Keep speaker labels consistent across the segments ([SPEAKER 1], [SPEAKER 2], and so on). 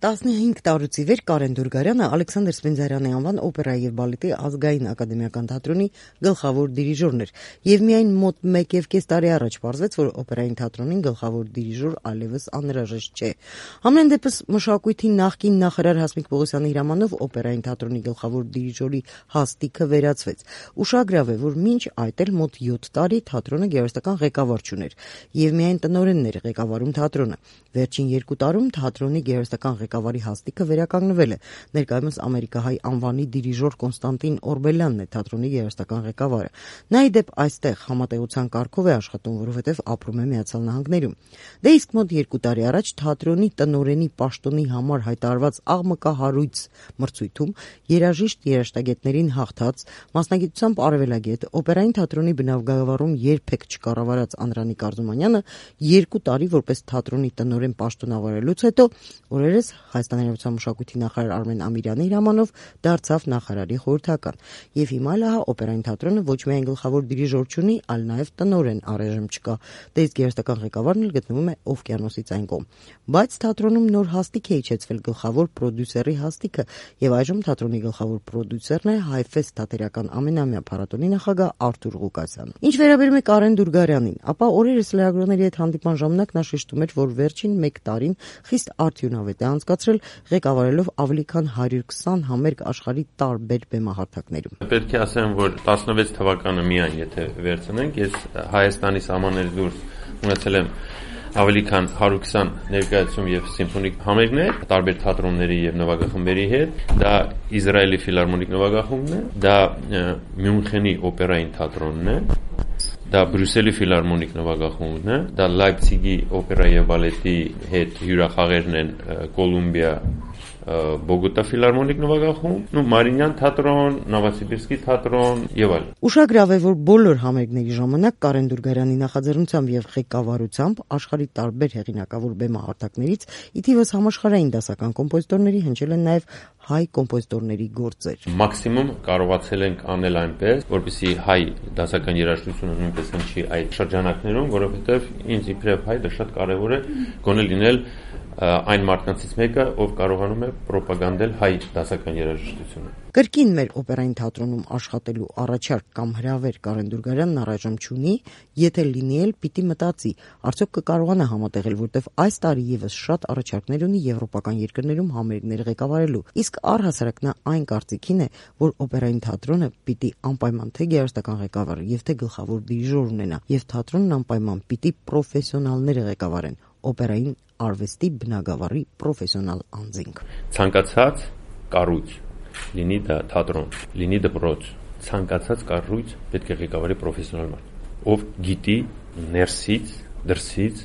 [SPEAKER 1] 15 տարուց ի վեր Կարեն Դուրգարյանը Ալեքսանդր Սպենդիարյանի անվան օպերայի եւ բալետի ազգային ակադեմիական թատրոնի գլխավոր դիրիժորն էր, եւ միայն մոտ 1.5 տարի առաջ պարզվեց, որ օպերային թատրոնին գլխավոր դիրիժոր այլևս անհրաժեշտ չէ։ Համենայն դեպս մշակույթի նախկին նախարար Հասմիկ Պողոսյանի հրամանով օպերային թատրոնի գլխավոր դիրիժորի հաստիքը վերացվեց։ Ուշագրավ է, որ մինչ այդ էլ մոտ 7 տարի թատրոնը գեղարվեստական ղեկավար չուներ, եւ միայն տնօրենն էր ղեկավարում թատրոնը։ Վերջին 2 տարում թատրոնի գեղարվեստական ղեկավարի հաստիքը վերականգնվել է։ Ներկայումս ամերիկահայ անվանի դիրիժոր Կոնստանտին Օրբելյանն է թատրոնի գեղարվեստական ղեկավարը։ Նա ի դեպ այստեղ համատեղության կարգով է աշխատում, որովհետև ապրում է Միացյալ Նահանգներում։ Դե իսկ մոտ 2 տարի առաջ թատրոնի տնօրենի պաշտոնի համար հայտարարված աղմկահարույց մրցույթում երաժիշտ երաժշտագետներին հաղթած մասնագիտությամբ արևելագետ օպերային թատրոնի բնագավառում երբեք չկառավարած Անդրանիկ Արզումանյանը 2 տարի որպես թատրոնի տնօրեն պաշտոնավարելուց հետո օրերս Հայաստանի Հանրապետության մշակույթի նախարար Արմեն Ամիրյանի հրամանով դարձավ նախարարի խորհրդական։ Եվ հիմա լահա օպերային թատրոնը ոչ միայն գլխավոր դիրիժոր չունի, այլ նաև տնօրեն առայժմ չկա։ Դե իսկ գեղարվեստական ղեկավարն էլ գտնվում է օվկիանոսից այն կողմ։ Բայց թատրոնում նոր հաստիք է իջեցվել գլխավոր պրոդյուսերի հաստիքը, եւ այժմ թատրոնի գլխավոր պրոդյուսերն է Հայֆես թատերական ամենամյա փառատոնի նախագահ Արթուր Ղուկասյանը։ Ինչ վերաբերում է Կարեն Դուրգարյանին, ապա օրերս լրագրողների հետ հանդիպման ժամանակ նա շեշտում էր, որ վերջին 1 տարին խիստ արդյունավետ է անցկացրել ղեկավարելով ավելի քան 120 համերգ աշխարհի տարբեր բեմահարթակներում։
[SPEAKER 2] Պետք է ասեմ, որ 16 թվականը միայն եթե վերցնենք, ես Հայաստանի սահմաններից դուրս ունեցել եմ ավելի քան 120 ներկայացում եւ սիմֆոնիկ համերգներ տարբեր թատրոնների եւ նվագախմբերի հետ։ Դա Իսրայելի ֆիլհարմոնիկ նվագախումբն է, դա Մյունխենի օպերային թատրոնն է, դա Բրյուսելի ֆիլհարմոնիկ նվագախումբն է, դա Լայպցիգի օպերայի եւ բալետի հետ հյուրախաղերն են Կոլումբիա Բոգոտա ֆիլհարմոնիկ նվագախումբ, Մարինյան թատրոն, Նովոսիբիրսկի թատրոն եւ այլն։
[SPEAKER 1] Ուշագրավ է, որ բոլոր համերգների ժամանակ Կարեն Դուրգարյանի նախաձեռնությամբ եւ ղեկավարությամբ աշխարհի տարբեր հեղինակավոր բեմահարթակներից ի թիվս համաշխարհային դասական կոմպոզիտորների հնչել են նաեւ հայ կոմպոզիտորների գործեր։
[SPEAKER 2] Մաքսիմում կարողացել ենք անել այնպես, որպեսզի հայ դասական երաժշտությունը նույնպես հնչի այդ շրջանակներում, որովհետեւ ինձ իբրև հայ դա շատ կարեւոր է գոնե լինել այն մարդկանցից մեկը, ով կարողանում է պրոպագանդել հայ դասական երաժշտությունը։
[SPEAKER 1] Կրկին մեր օպերային թատրոնում աշխատելու առաջարկ կամ հրավեր Կարեն Դուրգարյանն առայժմ չունի, եթե լինի էլ պիտի մտածի, արդյոք կկարողանա համատեղել, որտեվ այս տարի եւս շատ առաջարկներ ունի եվրոպական երկրներում համերգներ ղեկավարելու։ Իսկ առհասարակ նա այն կարծիքին է, որ օպերային թատրոնը պիտի անպայման թե գեղարվեստական ղեկավար եւ թե գլխավոր դիրիժոր ունենա, եւ թատրոնն անպայման պիտի պրոֆեսիոնալները ղեկավարեն, օպերային արվեստի բնագավառի պրոֆեսիոնալ անձինք։
[SPEAKER 2] Ցանկացած կառույց, լինի դա թատրոն, լինի դպրոց, ցանկացած կառույց պետք է ղեկավարի պրոֆեսիոնալ մարդ, ով գիտի ներսից, դրսից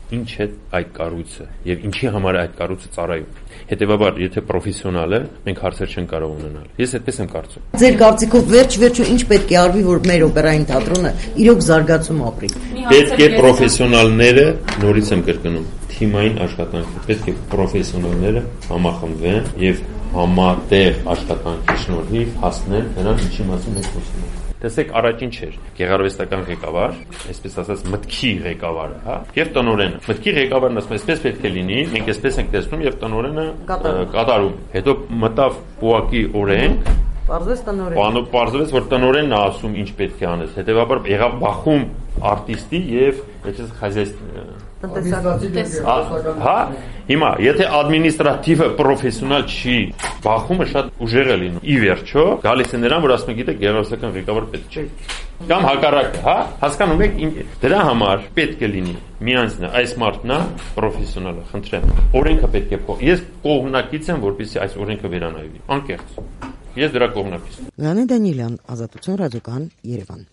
[SPEAKER 2] ինչ է այդ կառույցը եւ ինչի համար է այդ կառույցը ծառայում։ Հետեւաբար, եթե պրոֆեսիոնալ է, մենք հարցեր չենք կարող ունենալ։ Ես այդպես եմ կարծում։
[SPEAKER 1] Ձեր կարծիքով վերջ-վերջո ինչ պետք է արվի, որ մեր օպերային թատրոնը իրոք զարգացում ապրի։
[SPEAKER 2] Պետք է պրոֆեսիոնալները, նորից եմ կրկնում, թիմային աշխատանք, պետք է պրոֆեսիոնալները համախմբվեն եւ համատեղ աշխատանքի շնորհիվ հասնեն նրան, ինչի մասին մենք խոսում ենք։ Տեսեք, առաջին չէր գեղարվեստական ղեկավար, այսպես ասած մտքի ղեկավարը, հա, եւ տնօրենը։ Մտքի ղեկավարն ասում է, այսպես պետք է լինի, մենք այսպես ենք տեսնում եւ տնօրենը կատարում։ Հետո մտավ պուակի օրենք, պարզվեց, որ տնօրենն է ասում ինչ պետք է անես։ Հետեւաբար եղավ բախում արտիստի եւ Հա, հիմա, եթե ադմինիստրատիվը պրոֆեսիոնալ չի, բախումը շատ ուժեղ է լինում։ Ի վերջո, գալիս է նրան, որ ասում է, գիտեք, գեղարվեստական ղեկավար պետք չէ։ Կամ հակառակը, հա, հասկանում եք, դրա համար պետք է լինի մի անձն է, այս մարդն է պրոֆեսիոնալը, խնդրեմ։ Օրենքը պետք է փոխ։ Ես կողմնակից եմ, որպեսզի այս օրենքը վերանայվի։ Անկեղծ։ Ես դրա կողմնակից եմ։
[SPEAKER 1] Լեոնիդ Դանիելյան, Ազատություն ռադիոկայան, Երևան։